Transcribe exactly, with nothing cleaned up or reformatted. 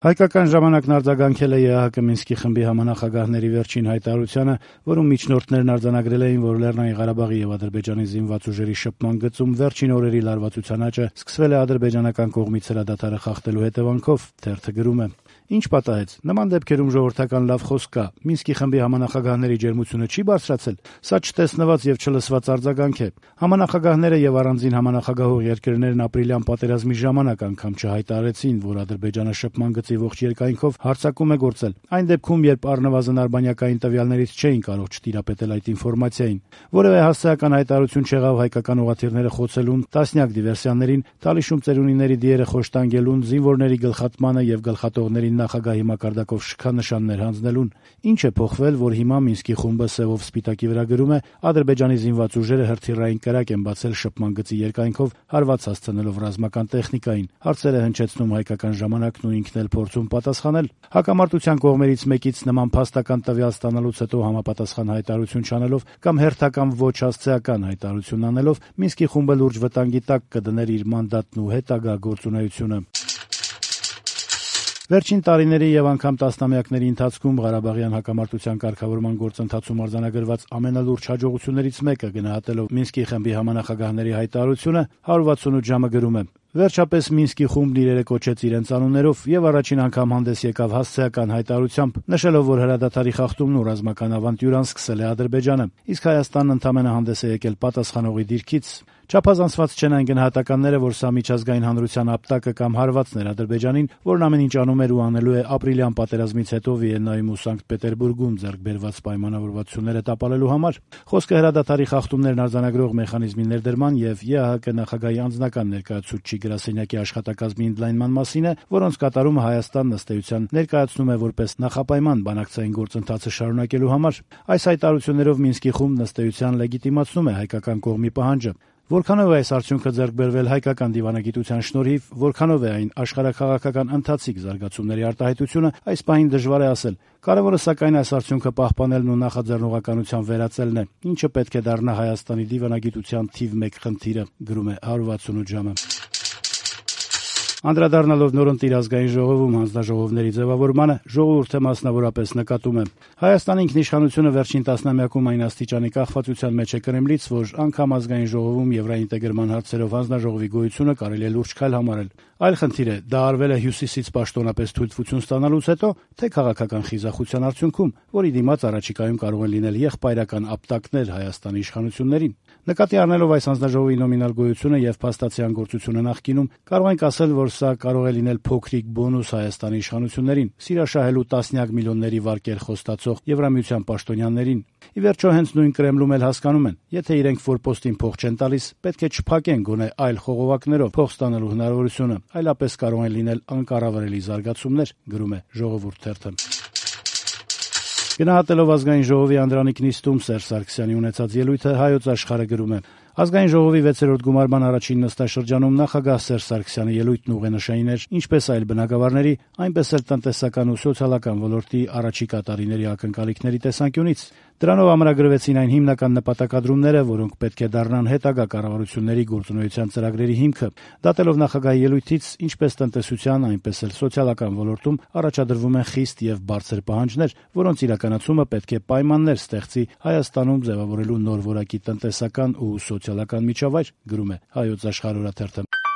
Հայկական ժամանակն արձագանքել է ԵԱՀԿ Մինսկի խմբի համանախագահների վերջին հայտարարությանը, որում միջնորդներն արձանագրել էին, որ Լեռնային Ղարաբաղի եւ Ադրբեջանի զինված ուժերի շփման գծում վերջին օրերի լարվածության աճը սկսվել է ադրբեջանական կողմից հրադադարը խախտելու հետևանքով, թերթը գրում է. Ինչ պատահեց, նման դեպքերում ժողովրդական լավ խոսք կա, Մինսկի խմբի համանախագահների ջերմությունը չի բարձրացել, սա չտեսնված եւ չլսված արձագանք է։ Համանախագահները եւ առանձին համանախագահող երկրներն ապրիլյան պատերազմի ժամանակ անգամ չհայտարարեցին, որ Ադրբեջանը շփման գծի ողջ երկայնքով հարձակում է գործել, այն դեպքում, երբ առնվազն արբանյակային տվյալներից չէին կարող չտիրապետել այդ ինֆորմացիային։ Որևէ հասարակական հայտարարություն չեղավ հայկական ուղղաթիռները խոցելուն, տասնյակ դիվերսիաներին, Թալիշում ծերունիների դիերը խոշտանգելուն, զինվորների գլխատմանը եւ գլխատողներին նախագահի մակարդակով շքանշաններ հանձնելուն։ Ինչ է փոխվել, որ հիմա Մինսկի խումբը սևով սպիտակի վրա գրում է Ադրբեջանի զինված ուժերը հրթիռային կրակ են բացել շփման գծի երկայնքով, հարված հասցնելով ռազմական տեխնիկային։ Հարցեր է հնչեցնում հայկական ժամանակն ու ինքն էլ փորձում պատասխանել։ Հակամարտության կողմերից մեկից նման փաստական տվյալ ստանալուց հետո համապատասխան հայտարարություն չանելով կամ հերթական ոչ հասցեական հայտարարություն անելով Մինսկի խումբը լուրջ վտանգի տակ կդներ իր մանդատն ու հետագա գործունեությունը։ Վերջին տարիների եւ անգամ տասնամյակների ընթացքում Ղարաբաղյան հակամարտության կարգավորման գործընթացում արձանագրված ամենալուրջ հաջողություններից մեկը գնահատելով Մինսկի խմբի համանախագահների հայտարարությունը հարյուր վաթսունութ ժամը գրում է. Վերջապես Մինսկի խումբն իրերը կոչեց իրենց անուններով եւ առաջին անգամ հանդես եկավ հասցեական հայտարարությամբ, նշելով, որ հրադադարի խախտումն ու ռազմական ավանտյուրան սկսել է Ադրբեջանը, իսկ Հայաստանն ընդամենը հանդես է եկել պատասխանողի դիրքից։ Չափազանցված չեն այն գնահատականները, որ սա միջազգային հանրության ապտակը կամ հարվածն էր Ադրբեջանին, որն ամեն ինչ անում էր ու անելու է ապրիլյան պատերազմից հետո Վիեննայում ու Սանկտ Պետերբուրգում ձեռք բերված պայմանավորվածությունները տապալելու համար։ Խոսքը հրադադարի խախտումներն արձանագրող մեխանիզմի ներդրման եւ ԵԱՀԿ նախագահի անձնական ներկայացուցչի գրասենյակի աշխատակազմի ընդլայնման մասին է, որոնց կատարումը Հայաստանն ըստ էության ներկայացնում է որպես նախապայման բանակցային գործընթացը շարունակելու համար։ Այս հայտարարություններով Մինսկի խումբն ըստ էության լեգիտիմացնում է հայկական կողմի պահանջը։ Որքանով է այս արդյունքը ձեռք բերվել հայկական դիվանագիտության շնորհիվ, որքանով է այն աշխարհաքաղաքական ընթացիկ զարգացումների արտահայտությունը, այս պահին դժվար է ասել։ Կարևորը սակայն այս արդյունքը պահպանելն ու նախաձեռնողականության վերացնելն է, ինչը պետք է դառնա Հայաստանի դիվանագիտության թիվ մեկ խնդիրը, գրում է հարյուր վաթսունութ ժամը։ Անդրադառնալով նորընտիր ազգային ժողովում հանձնաժողովների ձևավորմանը, ժողովուրդը մասնավորապես նկատում է. Հայաստանի ինքնիշխանությունը վերջին տասնամյակում այն աստիճանի կախվածության մեջ է Կրեմլից, որ անգամ ազգային ժողովում եվրաինտեգրման հարցերով հանձնաժողովի գոյությունը կարելի է լուրջ քայլ համարել։ Այլ խնդիր է, դա արվել է Հյուսիսից պաշտոնապես թույլտվություն ստանալուց հետո, թե քաղաքական խիզախության արդյունքում, որի դիմաց առաջիկայում կարող են լինել եղբայրական ապտակներ Հայաստանի իշխանություններին։ Նկատի առնելով այս հանձնաժողովի նոմինալ գոյությունը եւ փաստացիան գործությունը նախկինում, կարող ենք ասել, որ սա կարող է լինել փոքրիկ բոնուս Հայաստանի իշխանություններին, սիրաշահելու տասնյակ միլիոնների վարկեր խոստացող Եվրամիության պաշտոնյաներին։ Ի վերջո հենց նույն Կրեմլում էլ հասկանում են, եթե իրենք ֆորպոստին փող չեն տալիս, պետք է չփակեն գոնե այլ խողովակներով փող ստանալու հնարավորությունը, այլապես կարող են լինել անկառավարելի զարգացումներ, գրում է Ժողովուրդ թերթը։ Գնահատելով ազգային ժողովի Անդրանիկ նիստում Սերժ Սարգսյանի ունեցած ելույթը Հայոց Աշխարհը գրում է. Ազգային ժողովի վեցերորդ գումարման առաջին նստաշրջանում նախագահ Սերժ Սարգսյանի ելույթն ուղենշային էր ինչպես այլ բնագավառների, այնպես էլ տնտեսական ու սոցիալական ոլորտի առաջիկա տարիների ակնկալիքների տեսանկյունից։ Դրանով ամրագրվեցին այն հիմնական նպատակադրումները, որոնք պետք է դառնան հետագա կառավարությունների գործունեության ծրագրերի հիմքը։ Դատելով նախագահի ելույթից, ինչպես տնտեսության, այնպես էլ սոցիալական ոլորտում առաջադրվում են խիստ եւ բարձր պահանջներ, որոնց իրականացումը պետք է պայմաններ ստեղծի Հայաստանում ձևավորելու նոր որակի տնտեսական ու սոցիալական միջավայր, գրում է Հայոց Աշխարհ օրաթերթը։